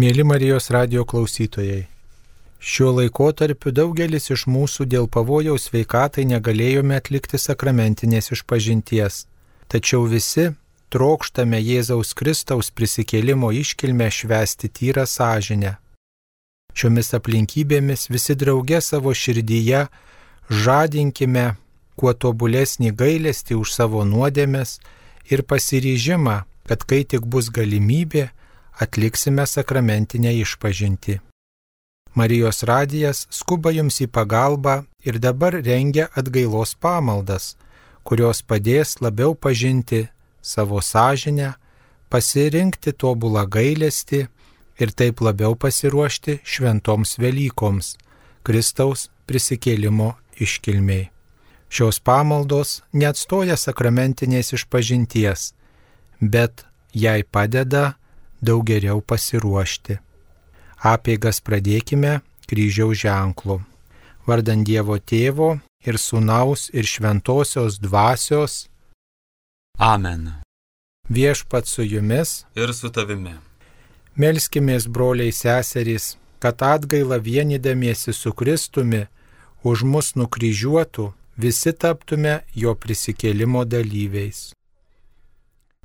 Mėly Marijos radijo klausytojai, šiuo laikotarpiu daugelis iš mūsų dėl pavojaus sveikatai negalėjome atlikti sakramentinės išpažinties, tačiau visi trokštame Jėzaus Kristaus prisikėlimo iškilmę švęsti tyrą sąžinę. Šiomis aplinkybėmis visi drauge savo širdyje žadinkime kuo tobulesnį gailestį už savo nuodėmes ir pasiryžimą, kad kai tik bus galimybė, atliksime sakramentinę išpažintį. Marijos radijas skuba jums į pagalbą ir dabar rengia atgailos pamaldas, kurios padės labiau pažinti savo sąžinę, pasirinkti tobulą gailestį ir taip labiau pasiruošti šventoms Velykoms, Kristaus prisikėlimo iškilmei. Šios pamaldos neatstoja sakramentinės išpažinties, bet jai padeda daug geriau pasiruošti. Apeigas pradėkime kryžiaus ženklu. Vardan Dievo Tėvo ir Sūnaus ir Šventosios Dvasios. Amen. Viešpat su jumis Ir su tavimi. Melskimės, broliai seserys, kad atgailą vienydamiesi su Kristumi už mus nukryžiuotų, visi taptume jo prisikėlimo dalyviais.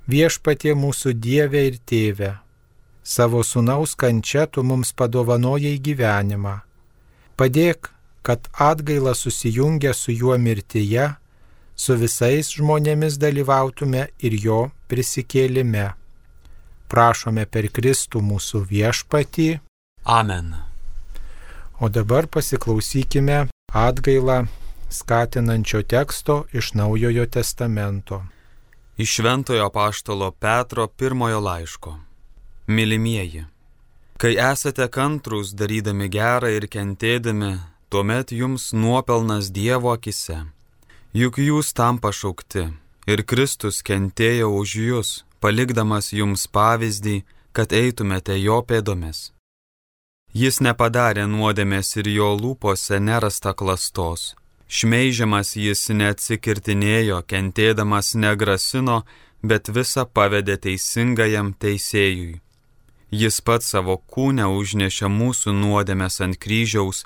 Viešpatie mūsų Dieve ir Tėve, savo Sūnaus kančia tu mums padovanojai gyvenimą. Padėk, kad atgaila susijungę su juo mirtyje, su visais žmonėmis dalyvautume ir jo prisikėlime. Prašome per Kristų mūsų viešpatį. Amen. O dabar pasiklausykime atgailą skatinančio teksto iš Naujojo testamento. Iš Šventojo apaštalo Petro pirmojo laiško. Mylimieji, kai esate kantrūs darydami gerą ir kentėdami, tuomet jums nuopelnas Dievo akise. Juk jūs tam pašaukti, ir Kristus kentėjo už jūs, palikdamas jums pavyzdį, kad eitumėte jo pėdomis. Jis nepadarė nuodėmės ir jo lūpose nerasta klastos. Šmeižiamas jis neatsikirtinėjo, kentėdamas negrasino, bet visą pavedė teisingajam teisėjui. Jis pats savo kūne užnešė mūsų nuodėmes ant kryžiaus,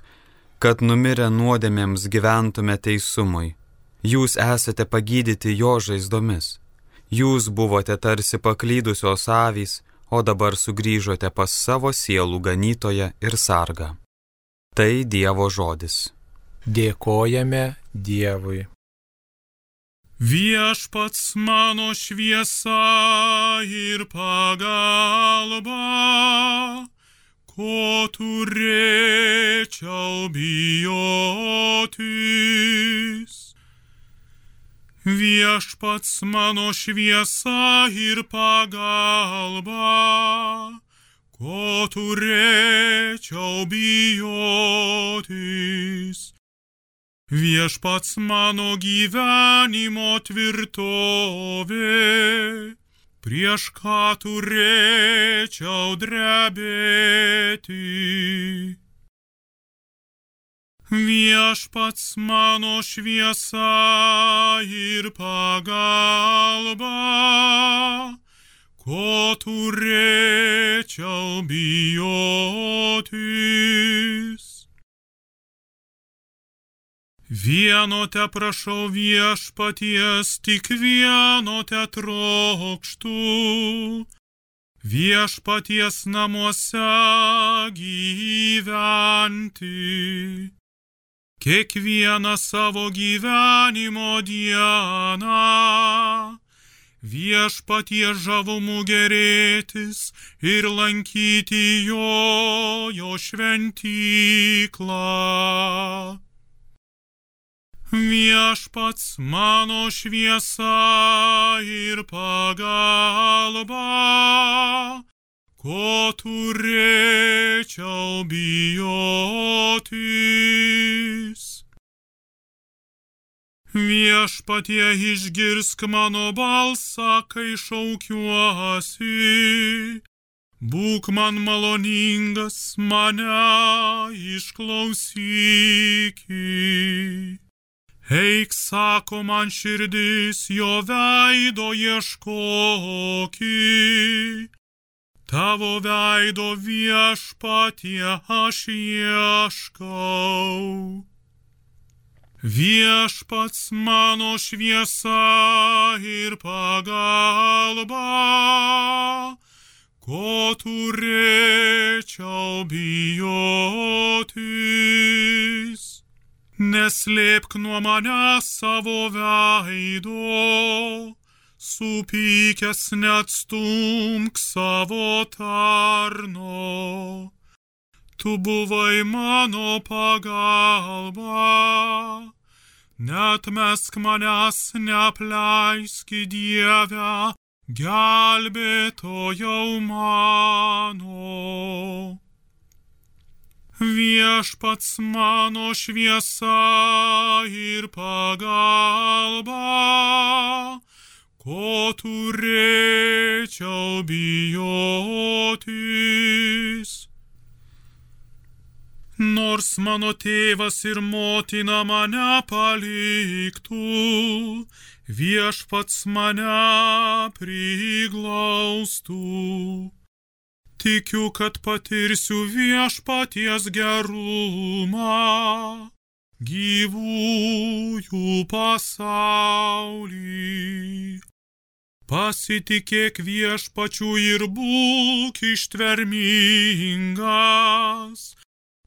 kad numirę nuodėmėms gyventume teisumui. Jūs esate pagydyti jo žaizdomis. Jūs buvote tarsi paklydusios avys, o dabar sugrįžote pas savo sielų ganytoją ir sargą. Tai Dievo žodis. Dėkojame Dievui. Viešpats mano šviesa ir pagalba, ko turėčiau bijotis. Viešpats mano šviesa ir pagalba, ko turėčiau bijotis. Viešpats mano gyvenimo tvirtovė, prieš ką turėčiau drebėti. Viešpats mano šviesa ir pagalba, ko turėčiau bijotis. Vieno te prašau viešpaties, tik vieno te trokštu, viešpaties namuose gyventi. Kiekvieną savo gyvenimo dieną viešpaties žavumų gerėtis ir lankyti jo šventyklą. Viešpats mano šviesa ir pagalba, ko turėčiau bijotis. Viešpatie, išgirsk mano balsą, kai šaukiuosi. Būk man maloningas, mane išklausyki. Eik, sako man širdis, jo veido ieškoki. Tavo veido Viešpatie aš ieškau. Viešpats mano šviesa ir pagalba, ko turėčiau bijotis. Neslėpk nuo manęs savo veido, supykęs neatstumk savo tarno. Tu buvai mano pagalba, neatmesk manęs, neapleisk Dieve, gelbėtojau mano. Viešpats mano šviesa ir pagalba, ko turėčiau bijotis. Nors mano tėvas ir motina mane paliktų, Viešpats mane priglaustų. Tikiu, kad patirsiu Viešpaties gerumą, gyvųjų pasaulį. Pasitikėk Viešpačiu ir būk ištvermingas.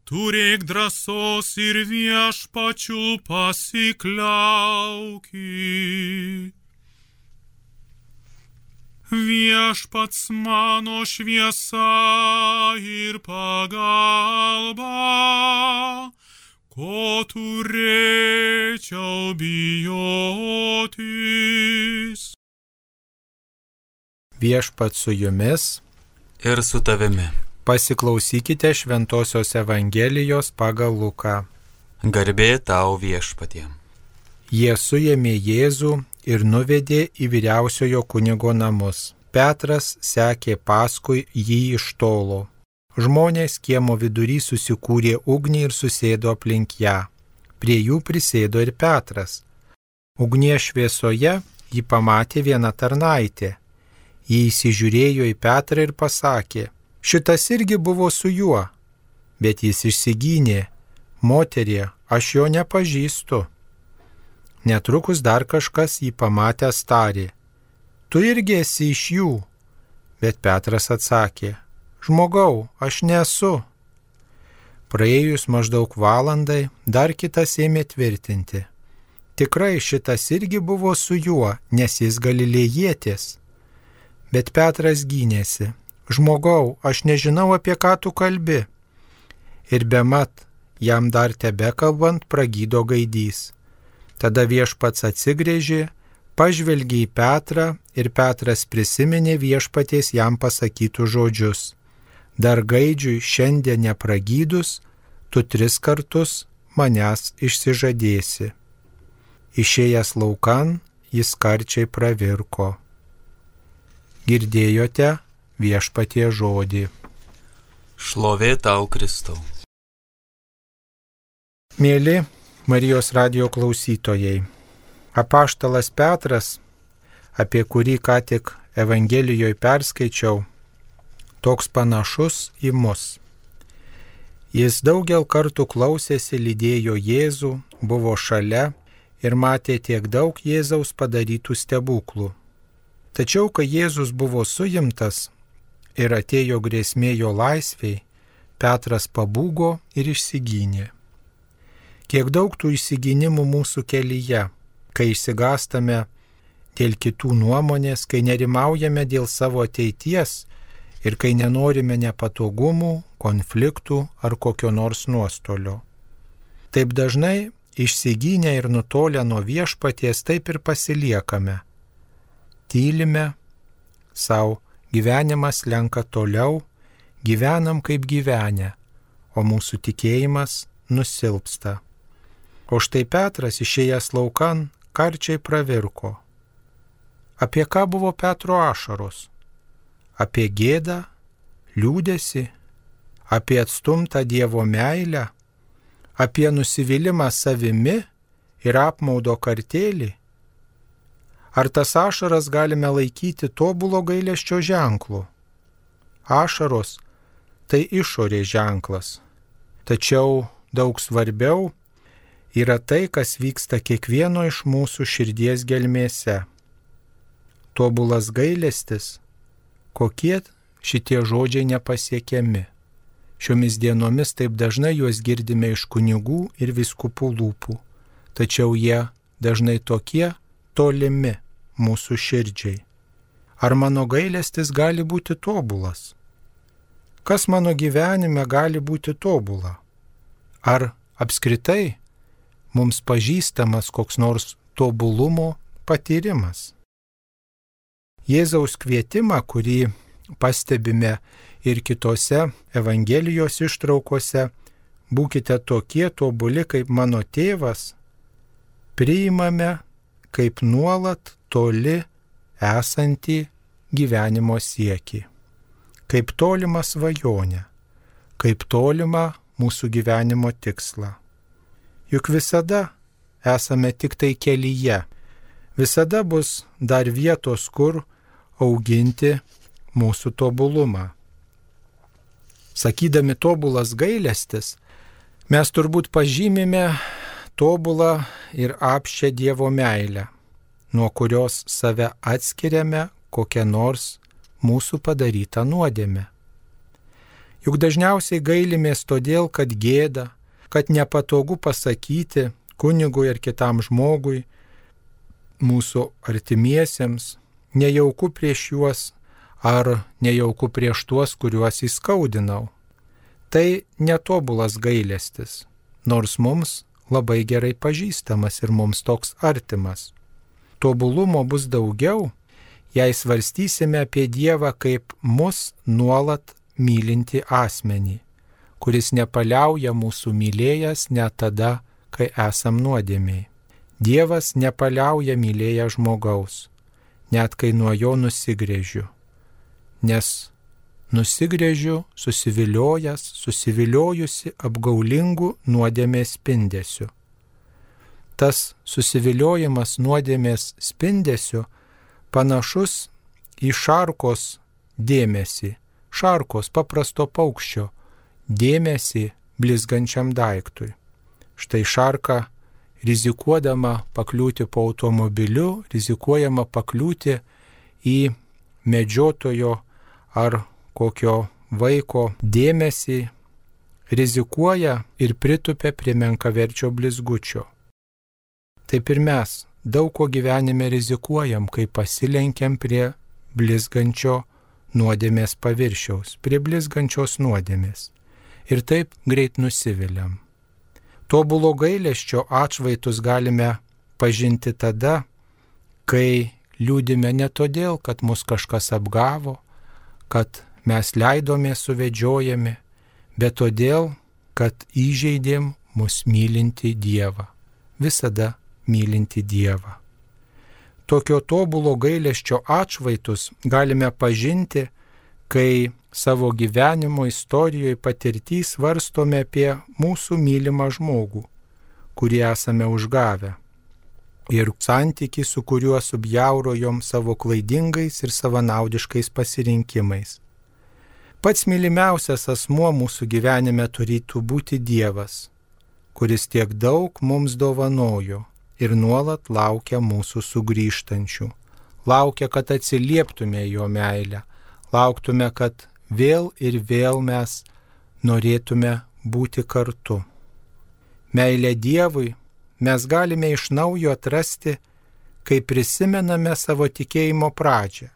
Turėk drąsos ir Viešpačiu pasikliauki. Viešpats mano šviesa ir pagalba, ko turėčiau bijotis. Viešpats su jumis ir su tavimi. Pasiklausykite Šventosios Evangelijos pagal Luką. Garbė tau Viešpatie. Jie suėmė Jėzų ir nuvedė į vyriausiojo kunigo namus. Petras sekė paskui jį iš tolo. Žmonės kiemo vidury susikūrė ugnį ir susėdo aplink ją. Prie jų prisėdo ir Petras. Ugnies šviesoje jį pamatė viena tarnaitė. Jį įsižiūrėjo į Petrą ir pasakė: šitas irgi buvo su juo. Bet jis išsigynė: moterie, aš jo nepažįstu. Netrukus dar kažkas jį pamatęs tarė: tu irgi esi iš jų. Bet Petras atsakė: žmogau, aš nesu. Praėjus maždaug valandai, dar kitas ėmė tvirtinti: tikrai šitas irgi buvo su juo, nes jis galilėjietis. Bet Petras gynėsi: žmogau, aš nežinau, apie ką tu kalbi. Ir bemat, jam dar tebekalbant, pragydo gaidys. Tada Viešpats atsigręžė, pažvelgė į Petrą ir Petras prisiminė Viešpaties jam pasakytų žodžius: dar gaidžiui šiandien nepragydus, tu 3 kartus manęs išsižadėsi. Išėjęs laukan, jis karčiai pravirko. Girdėjote Viešpatie žodį. Šlovė tau, Kristau. Mėly Marijos radijo klausytojai, apaštalas Petras, apie kurį ką tik Evangelijoje perskaičiau, toks panašus į mus. Jis daugel kartų klausėsi, lydėjo Jėzų, buvo šalia ir matė tiek daug Jėzaus padarytų stebuklų. Tačiau, kai Jėzus buvo suimtas ir atėjo grėsmė jo laisvei, Petras pabūgo ir išsigynė. Kiek daug tų išsigynimų mūsų kelyje, kai išsigąstame dėl kitų nuomonės, kai nerimaujame dėl savo ateities ir kai nenorime nepatogumų, konfliktų ar kokio nors nuostolio. Taip dažnai išsigynę ir nutolę nuo Viešpaties taip ir pasiliekame. Tylime, savo gyvenimas lenka toliau, gyvenam kaip gyvenę, o mūsų tikėjimas nusilpsta. O štai Petras išėjęs laukan karčiai pravirko. Apie ką buvo Petro ašaros? Apie gėdą, liūdesį, apie atstumtą Dievo meilę, apie nusivylimą savimi ir apmaudo kartėlį? Ar tas ašaras galime laikyti tobulo gailesčio ženklu? ašaros tai išorės ženklas. Tačiau daug svarbiau yra tai, kas vyksta kiekvieno iš mūsų širdies gelmėse. Tobulas gailestis, kokie šitie žodžiai nepasiekiami. Šiomis dienomis taip dažnai juos girdime iš kunigų ir vyskupų lūpų, tačiau jie dažnai tokie tolimi mūsų širdžiai. Ar mano gailestis gali būti tobulas? Kas mano gyvenime gali būti tobula? Ar apskritai mums pažįstamas koks nors tobulumo patyrimas? Jėzaus kvietimą, kurį pastebime ir kitose Evangelijos ištraukose, būkite tokie tobuli kaip mano tėvas, priimame kaip nuolat toli esantį gyvenimo siekį, kaip tolimą svajonę, kaip tolimą mūsų gyvenimo tikslą. Juk visada esame tik tai kelyje, visada bus dar vietos, kur auginti mūsų tobulumą. Sakydami tobulas gailestis, mes turbūt pažymime tobulą ir apsčią Dievo meilę, nuo kurios save atskiriame kokią nors mūsų padarytą nuodėmę. Juk dažniausiai gailimės todėl, kad gėda, kad nepatogu pasakyti kunigui ar kitam žmogui, mūsų artimiesiems, nejauku prieš juos ar nejauku prieš tuos, kuriuos įskaudinau. Tai netobulas gailestis, nors mums labai gerai pažįstamas ir mums toks artimas. Tobulumo bus daugiau, jei svarstysime apie Dievą kaip mus nuolat mylinti asmenį, kuris nepaliauja mūsų mylėjęs net tada, kai esam nuodėmiai. Dievas nepaliauja mylėjęs žmogaus, net kai nuo jo nusigręžiu, nes nusigręžiu susiviliojusi apgaulingų nuodėmės spindesiu. Tas susiviliojimas nuodėmės spindesiu panašus į šarkos dėmesį, šarkos paprasto paukščio dėmesį blizgančiam daiktui. Štai šarka rizikuodama pakliūti po automobiliu, rizikuojama pakliūti į medžiotojo ar kokio vaiko dėmesį, rizikuoja ir pritupia prie menkaverčio blizgučio. Taip ir mes daug ko gyvenime rizikuojam, kai pasilenkiam prie blizgančio nuodėmės paviršiaus, prie blizgančios nuodėmės. Ir taip greit nusiviliam. Tobulo gailesčio atšvaitus galime pažinti tada, kai liūdime ne todėl, kad mus kažkas apgavo, kad mes leidomės suvedžiojami, bet todėl, kad įžeidėm mus mylinti Dievą, visada mylinti Dievą. Tokio tobulo gailesčio atšvaitus galime pažinti, kai savo gyvenimo istorijoje patirtį svarstome apie mūsų mylimą žmogų, kurį esame užgavę, ir santykį, su kuriuo subjaurojom savo klaidingais ir savanaudiškais pasirinkimais. Pats mylimiausias asmuo mūsų gyvenime turėtų būti Dievas, kuris tiek daug mums dovanojo ir nuolat laukia mūsų sugrįžtančių. Laukia, kad atsilieptume jo meilę, lauktume, kad vėl ir vėl mes norėtume būti kartu. Meilę Dievui mes galime iš naujo atrasti, kai prisimename savo tikėjimo pradžią,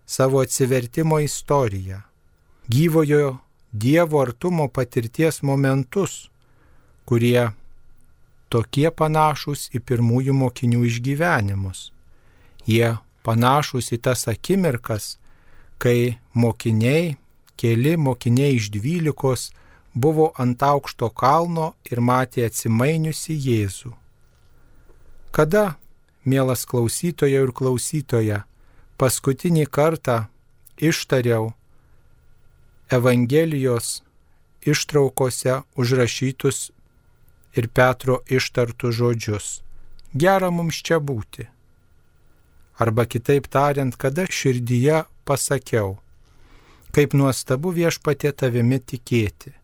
savo atsivertimo istoriją, gyvojo Dievo artumo patirties momentus, kurie tokie panašūs į pirmųjų mokinių išgyvenimus. Jie panašūs į tas akimirkas, kai keli mokiniai iš 12 buvo ant aukšto kalno ir matė atsimainiusi Jėzų. Kada, mielas klausytoja ir klausytoja, paskutinį kartą ištariau Evangelijos ištraukose užrašytus ir Petro ištartus žodžius: gera mums čia būti. Arba kitaip tariant, kada širdyje pasakiau: Kaip nuostabu Viešpatie tavimi tikėti,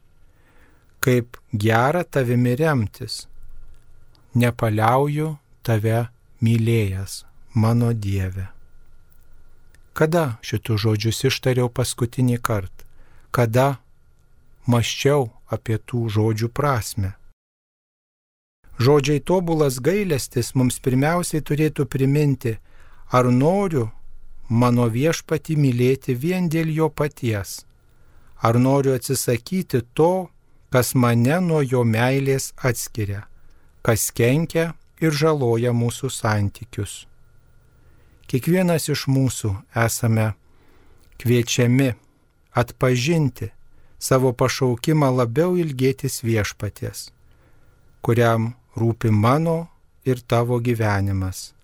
kaip gera tavimi remtis. Nepaliauju tave mylėjęs, mano Dieve. Kada šitų žodžius ištariau paskutinį kartą? Kada mąsčiau apie tų žodžių prasme? Žodžiai tobulas gailestis mums pirmiausiai turėtų priminti, ar noriu mano Viešpatį mylėti vien dėl jo paties, ar noriu atsisakyti to, kas mane nuo jo meilės atskiria, kas kenkia ir žaloja mūsų santykius. Kiekvienas iš mūsų esame kviečiami atpažinti savo pašaukimą labiau ilgėtis Viešpaties, kuriam rūpi mano ir tavo gyvenimas,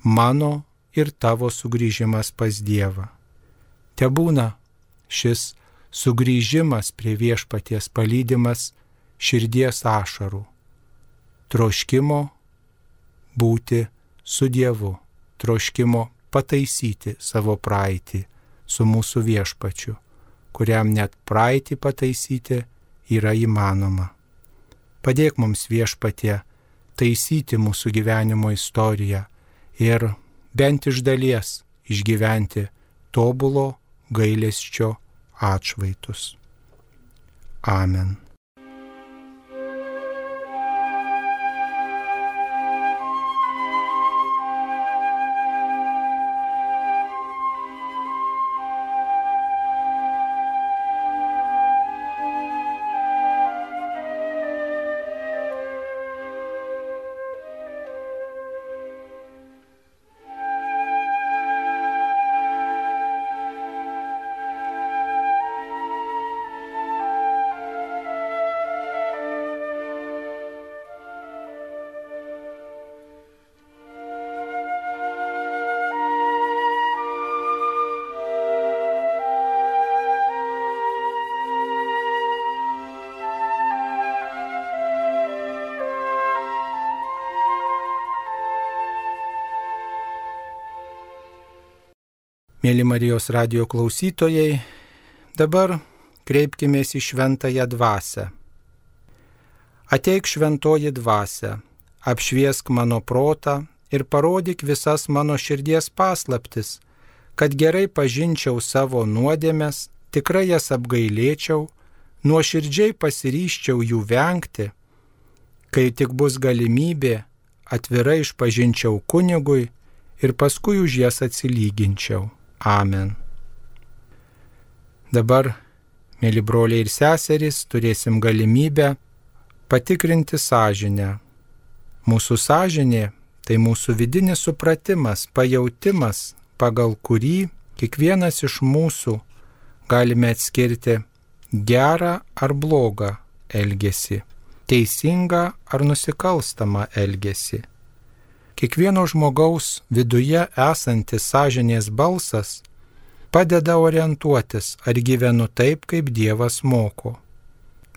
mano ir tavo sugrįžimas pas Dievą. Tebūna šis sugrįžimas prie Viešpaties palydimas širdies ašarų, troškimo būti su Dievu, troškimo pataisyti savo praeitį su mūsų Viešpačiu, kuriam net praeitį pataisyti yra įmanoma. Padėk mums, Viešpatie, taisyti mūsų gyvenimo istoriją ir bent iš dalies išgyventi tobulo gailesčio atšvaitus. Amen. Mėly Marijos radijo klausytojai, dabar kreipkimės į Šventąją Dvasią. Ateik Šventoji Dvasia, apšviesk mano protą ir parodyk visas mano širdies paslaptis, kad gerai pažinčiau savo nuodėmes, tikrai jas apgailėčiau, nuoširdžiai pasiryžčiau jų vengti, kai tik bus galimybė, atvirai išpažinčiau kunigui ir paskui už jas atsilyginčiau. Amen. Dabar, mėly broliai ir seserys, turėsim galimybę patikrinti sąžinę. Mūsų sąžinė tai mūsų vidinis supratimas, pajautimas, pagal kurį kiekvienas iš mūsų galime atskirti gerą ar blogą elgesį, teisingą ar nusikalstamą elgesį. Kiekvieno žmogaus viduje esantis sąžinės balsas padeda orientuotis, ar gyvenu taip, kaip Dievas moko.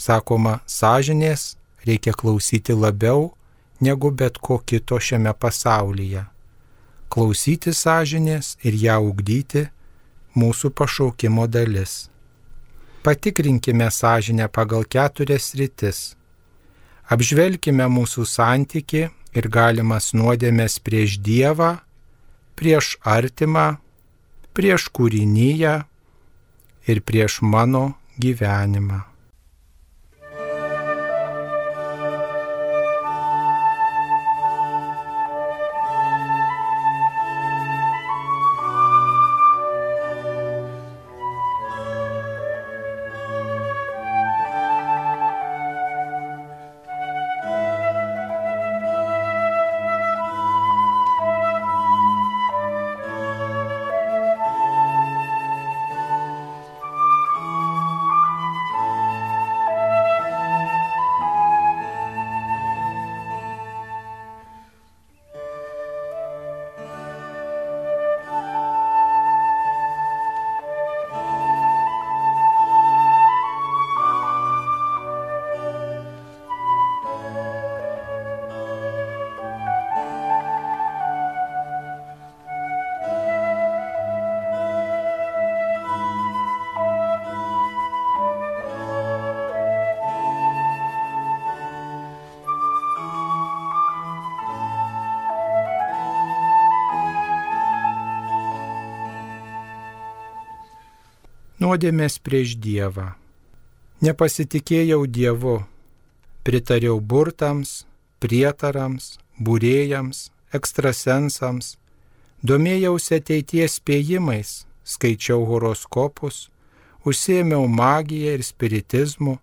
Sakoma, sąžinės reikia klausyti labiau negu bet ko kito šiame pasaulyje. Klausyti sąžinės ir ją ugdyti mūsų pašaukimo dalis. Patikrinkime sąžinę pagal 4 sritis. Apžvelkime mūsų santykį ir galimas nuodėmes prieš Dievą, prieš artimą, prieš kūriniją ir prieš mano gyvenimą. nuodėmės prieš Dievą. Nepasitikėjau Dievu, pritariau burtams, prietarams, būrėjams, ekstrasensams, domėjausi ateities spėjimais, skaičiau horoskopus, užsiėmiau magiją ir spiritizmu,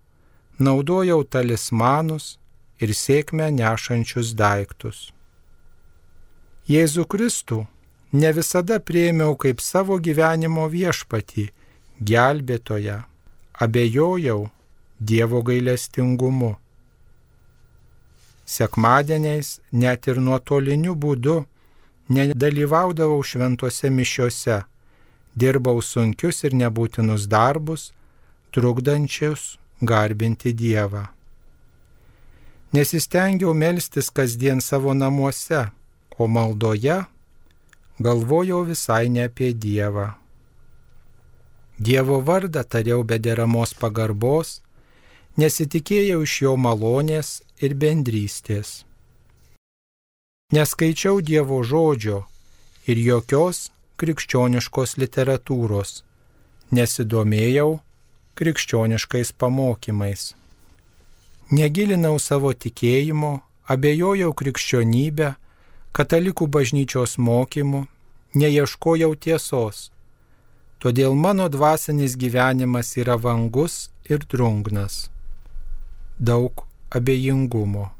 naudojau talismanus ir sėkmę nešančius daiktus. Jėzų Kristų ne visada priėmiau kaip savo gyvenimo viešpatį, gelbėtoją, abejojau Dievo gailestingumu. Sekmadieniais net ir nuotoliniu būdu nedalyvaudavau šventose mišiose, dirbau sunkius ir nebūtinus darbus, trukdančius garbinti Dievą. Nesistengiau melstis kasdien savo namuose, o maldoje galvojau visai ne apie Dievą. Dievo vardą tariau be deramos pagarbos, nesitikėjau iš jo malonės ir bendrystės. Neskaičiau Dievo žodžio ir jokios krikščioniškos literatūros, nesidomėjau krikščioniškais pamokymais. Negilinau savo tikėjimo, abejojau krikščionybę, katalikų bažnyčios mokymų, neieškojau tiesos. Todėl mano dvasinis gyvenimas yra vangus ir drungnas. Daug abejingumo.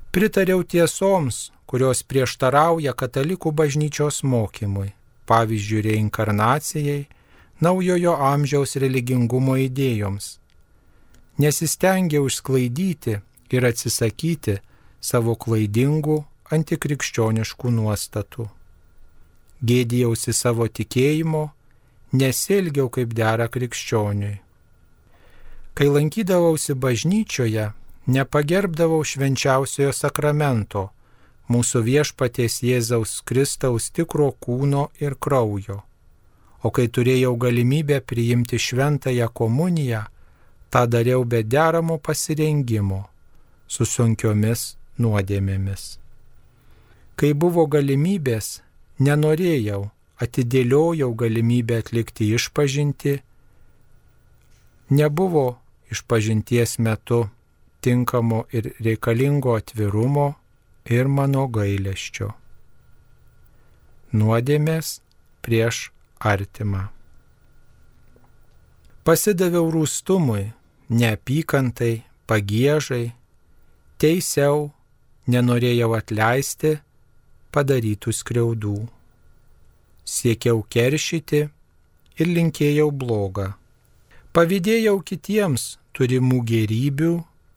Pritariau tiesoms, kurios prieštarauja katalikų bažnyčios mokymui, pavyzdžiui, reinkarnacijai, naujojo amžiaus religingumo idėjoms. Nesistengiau išsklaidyti ir atsisakyti savo klaidingų antikrikščioniškų nuostatų. Gėdijausi savo tikėjimo, nesielgiau kaip dera krikščioniui. Kai lankydavausi bažnyčioje, nepagerbdavau švenčiausiojo sakramento, mūsų viešpaties Jėzaus Kristaus tikro kūno ir kraujo. O kai turėjau galimybę priimti šventąją komuniją, tą dariau be deramo pasirengimo, su sunkiomis nuodėmėmis. Kai buvo galimybės, nenorėjau, atidėliojau galimybę atlikti išpažintį, nebuvo išpažinties metu tinkamo ir reikalingo atvirumo ir mano gailesčio. Nuodėmės prieš artimą. Pasidaviau rūstumui, neapykantai, pagiežai, teisiau, nenorėjau atleisti padarytų skriaudų. Siekiau keršyti ir linkėjau blogą. Pavydėjau kitiems turimų gėrybių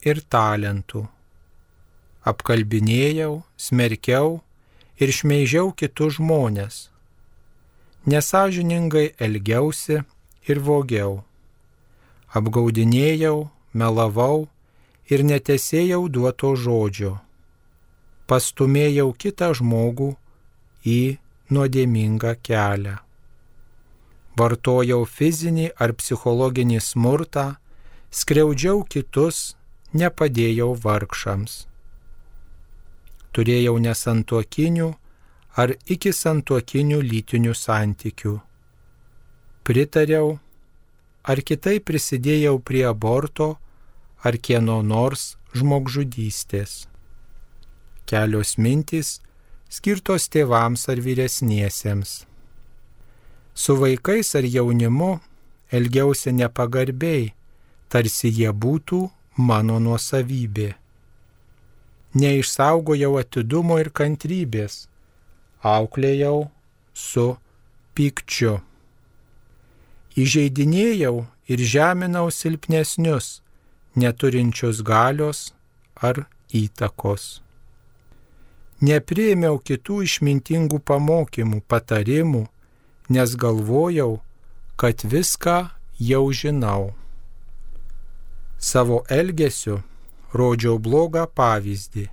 ir talentų. Apkalbinėjau, smerkiau ir šmeižiau kitus žmones. Nesąžiningai elgiausi ir vogiau. Apgaudinėjau, melavau ir netesėjau duoto žodžio. Pastumėjau kitą žmogų į nuodėmingą kelią. Vartojau fizinį ar psichologinį smurtą, skriaudžiau kitus, nepadėjau vargšams. Turėjau nesantuokinių ar iki santuokinių lytinių santykių. Pritariau ar kitaip prisidėjau prie aborto ar kieno nors žmogžudystės. Kelios mintys skirtos tėvams ar vyresniesiems. Su vaikais ar jaunimu elgiausi nepagarbiai, tarsi jie būtų mano nuosavybė. Neišsaugojau atidumo ir kantrybės, auklėjau su pykčiu. Įžeidinėjau ir žeminau silpnesnius, neturinčius galios ar įtakos. Nepriėmiau kitų išmintingų pamokymų, patarimų, nes galvojau, kad viską jau žinau. Savo elgesiu rodžiau blogą pavyzdį,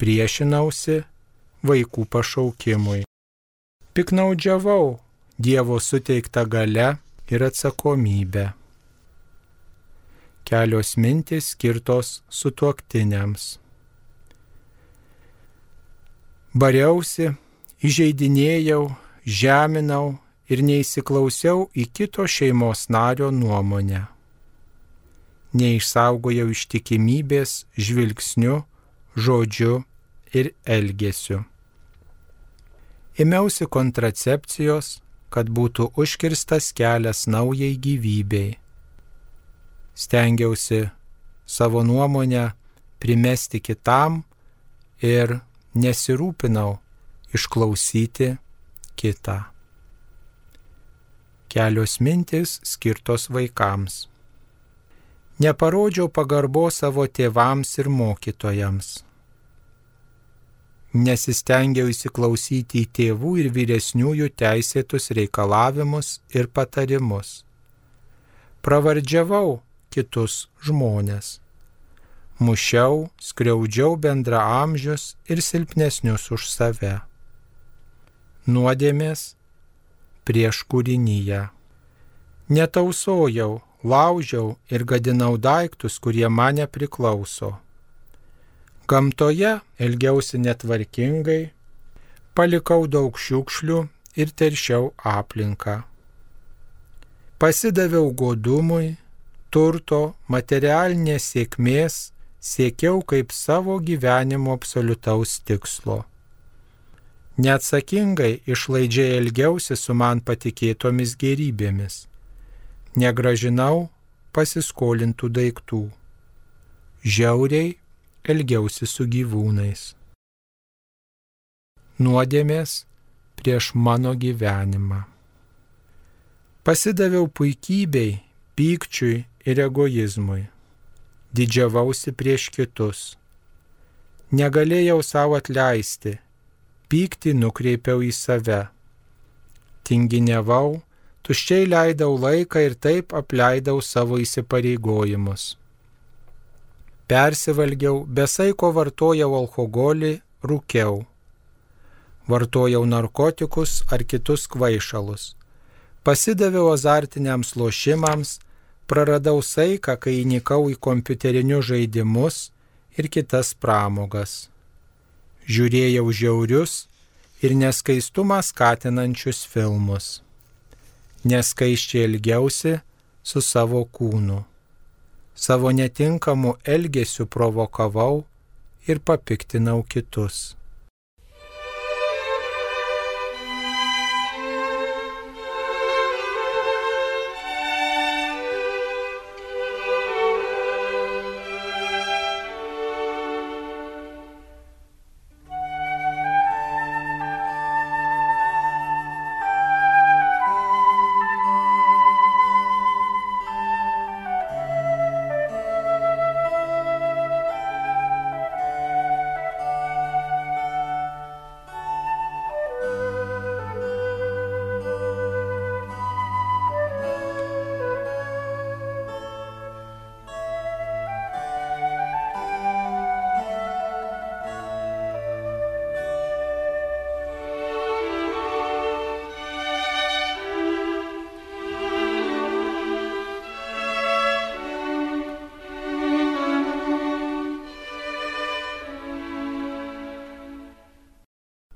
priešinausi vaikų pašaukimui. Piknaudžiavau Dievo suteiktą galią ir atsakomybę. Kelios mintys skirtos sutuoktiniams. Bariausi, įžeidinėjau, žeminau ir neįsiklausiau į kito šeimos nario nuomonę. Neišsaugojau ištikimybės žvilgsniu, žodžiu ir elgesiu. Ėmiausi kontracepcijos, kad būtų užkirstas kelias naujai gyvybei. Stengiausi savo nuomonę primesti kitam ir nesirūpinau išklausyti kitą. Kelios mintys skirtos vaikams. Neparodžiau pagarbos savo tėvams ir mokytojams. Nesistengiau įsiklausyti į tėvų ir vyresniųjų teisėtus reikalavimus ir patarimus. Pravardžiavau kitus žmones. Mušiau, skriaudžiau bendraamžius ir silpnesnius už save. Nuodėmės prieš kūrinyje. Netausojau, laužiau ir gadinau daiktus, kurie man nepriklauso. Gamtoje elgiausi netvarkingai, palikau daug šiukšlių ir teršiau aplinką. Pasidaviau godumui, turto, materialinės sėkmės, siekiau kaip savo gyvenimo absoliutaus tikslo. Neatsakingai išlaidžiai elgiausi su man patikėtomis gėrybėmis. Negražinau pasiskolintų daiktų. Žiauriai elgiausi su gyvūnais. Nuodėmės prieš mano gyvenimą. Pasidaviau puikybei, pykčiui ir egoizmui. Didžiavausi prieš kitus. Negalėjau savo atleisti. Pyktį nukreipiau į save. Tinginiavau, tuščiai leidau laiką ir taip apleidau savo įsipareigojimus. Persivalgiau, besaiko vartojau alkoholį, rūkiau. Vartojau narkotikus ar kitus kvaišalus. Pasidaviau azartiniams lošimams, praradau saiką, kai įnikau į kompiuterinius žaidimus ir kitas pramogas. Žiūrėjau žiaurius ir neskaistumą skatinančius filmus. Neskaisčiai elgiausi su savo kūnu. Savo netinkamu elgesiu provokavau ir papiktinau kitus.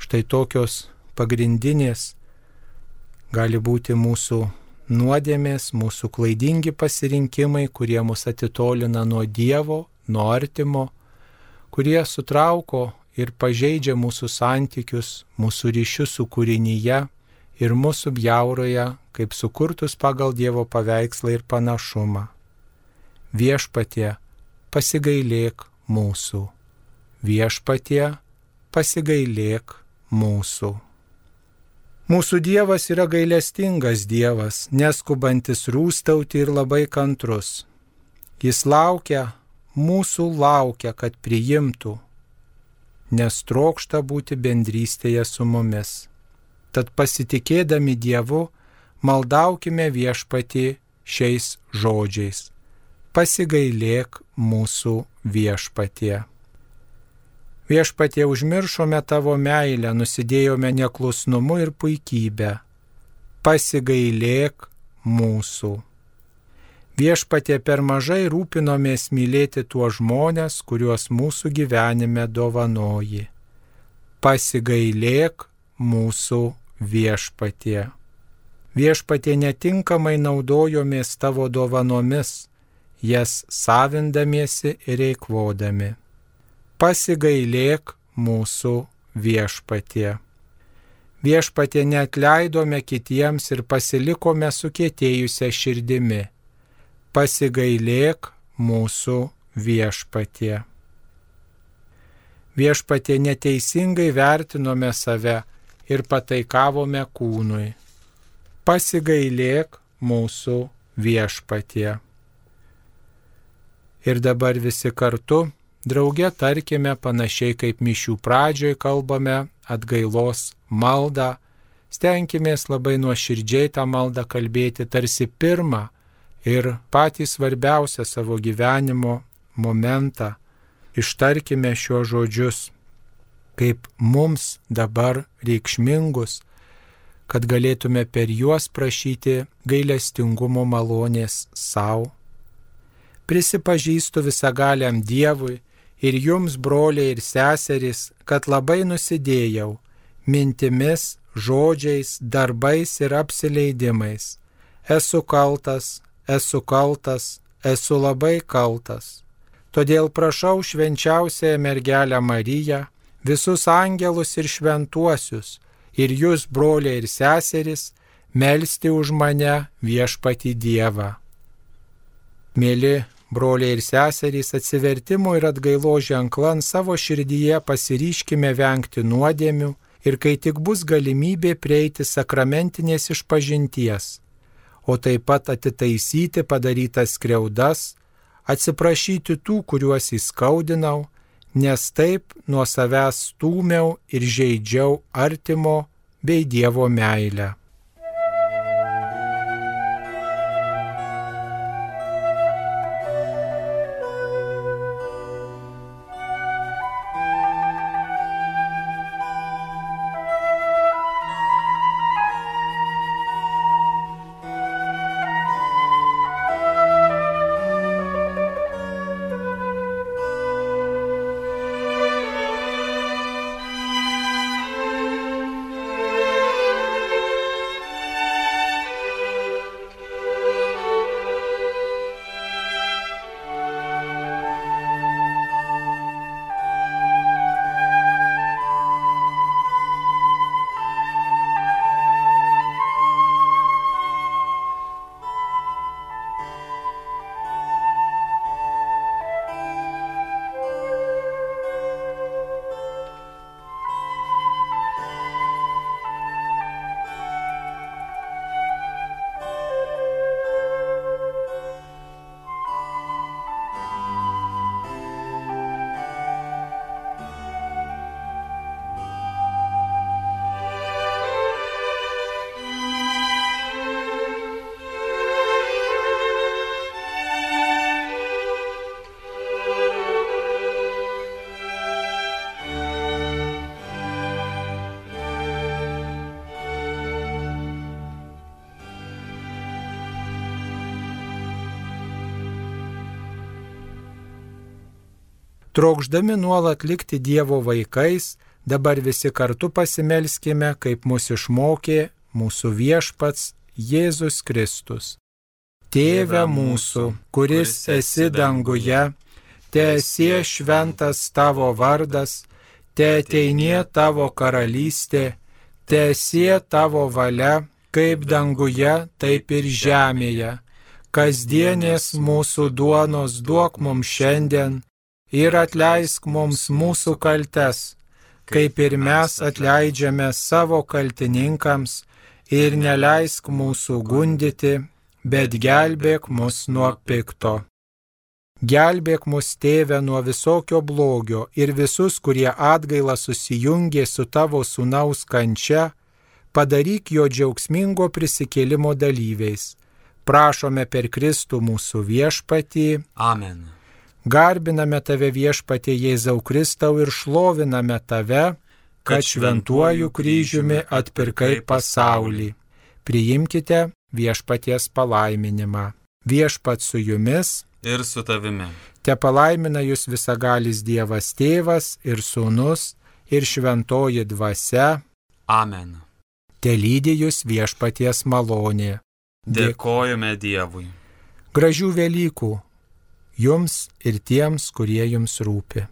Štai tokios pagrindinės gali būti mūsų nuodėmės, mūsų klaidingi pasirinkimai, kurie mus atitolina nuo Dievo, nuo artimo, kurie sutrauko ir pažeidžia mūsų santykius, mūsų ryšius su kūrinyje ir mūsų bjauroje, kaip sukurtus pagal Dievo paveikslą ir panašumą. Viešpatie, pasigailėk mūsų. Viešpatie, pasigailėk mūsų. Mūsų Dievas yra gailestingas Dievas, neskubantis rūstauti ir labai kantrus. Jis mūsų laukia, kad priimtų, nes trokšta būti bendrystėje su mumis. Tad pasitikėdami Dievu, maldaukime Viešpatį šiais žodžiais. Pasigailėk mūsų Viešpatie. Viešpatie, užmiršome tavo meilę, nusidėjome neklusnumu ir puikybę. Pasigailėk mūsų. Viešpatie, per mažai rūpinomės mylėti tuos žmonės, kuriuos mūsų gyvenime dovanoji. Pasigailėk mūsų Viešpatie. Viešpatie, netinkamai naudojomės tavo dovanomis, jas savindamiesi ir eikvodami. Pasigailėk mūsų Viešpatie. Viešpatie, neatleidome kitiems ir pasilikome sukietėjusią širdimi. Pasigailėk mūsų Viešpatie. Viešpatie, neteisingai vertinome save ir pataikavome kūnui. Pasigailėk mūsų Viešpatie. Ir dabar visi kartu, drauge tarkime panašiai kaip mišių pradžioj kalbame atgailos maldą, stenkimės labai nuoširdžiai tą maldą kalbėti tarsi pirmą ir patį svarbiausią savo gyvenimo momentą. Ištarkime šiuos žodžius, kaip mums dabar reikšmingus, kad galėtume per juos prašyti gailestingumo malonės savo. Prisipažįstu visagaliam Dievui ir jums, broliai ir seserys, kad labai nusidėjau mintimis, žodžiais, darbais ir apsileidimais. Esu kaltas, esu labai kaltas. Todėl prašau švenčiausiąją mergelę Mariją, visus angelus ir šventuosius, ir jūs, broliai ir seserys, melsti už mane Viešpatį Dievą. Mėly broliai ir seserys, atsivertimo ir atgailos ženklan savo širdyje pasiryškime vengti nuodėmių ir kai tik bus galimybė prieiti sakramentinės išpažinties, o taip pat atitaisyti padarytas skriaudas, atsiprašyti tų, kuriuos įskaudinau, nes taip nuo savęs stūmiau ir žeidžiau artimo bei Dievo meilę. Trokšdami nuolat likti Dievo vaikais, dabar visi kartu pasimelskime, kaip mus išmokė mūsų Viešpats Jėzus Kristus. Tėve mūsų, kuris esi danguje, teesie šventas tavo vardas, teateinie tavo karalystė, teesie tavo valia, kaip danguje, taip ir žemėje. Kasdienės mūsų duonos duok mums šiandien ir atleisk mums mūsų kaltes, kaip ir mes atleidžiame savo kaltininkams, ir neleisk mūsų gundyti, bet gelbėk mus nuo pikto. Gelbėk mus, Tėve, nuo visokio blogio ir visus, kurie atgailą susijungė su tavo sūnaus kančia, padaryk jo džiaugsmingo prisikėlimo dalyviais. Prašome per Kristų mūsų Viešpatį. Amen. Garbiname tave, Viešpatie Jėzau Kristau, ir šloviname tave, kad šventuoju kryžiumi atpirkai pasaulį. Priimkite Viešpaties palaiminimą. Viešpats su jumis ir su tavimi. Te palaimina jūs visagalis Dievas Tėvas ir Sūnus ir Šventoji Dvasia. Amen. te lydi jūs viešpaties malonė. Dėkojame Dievui. Gražių Velykų jums ir tiems, kurie jums rūpi.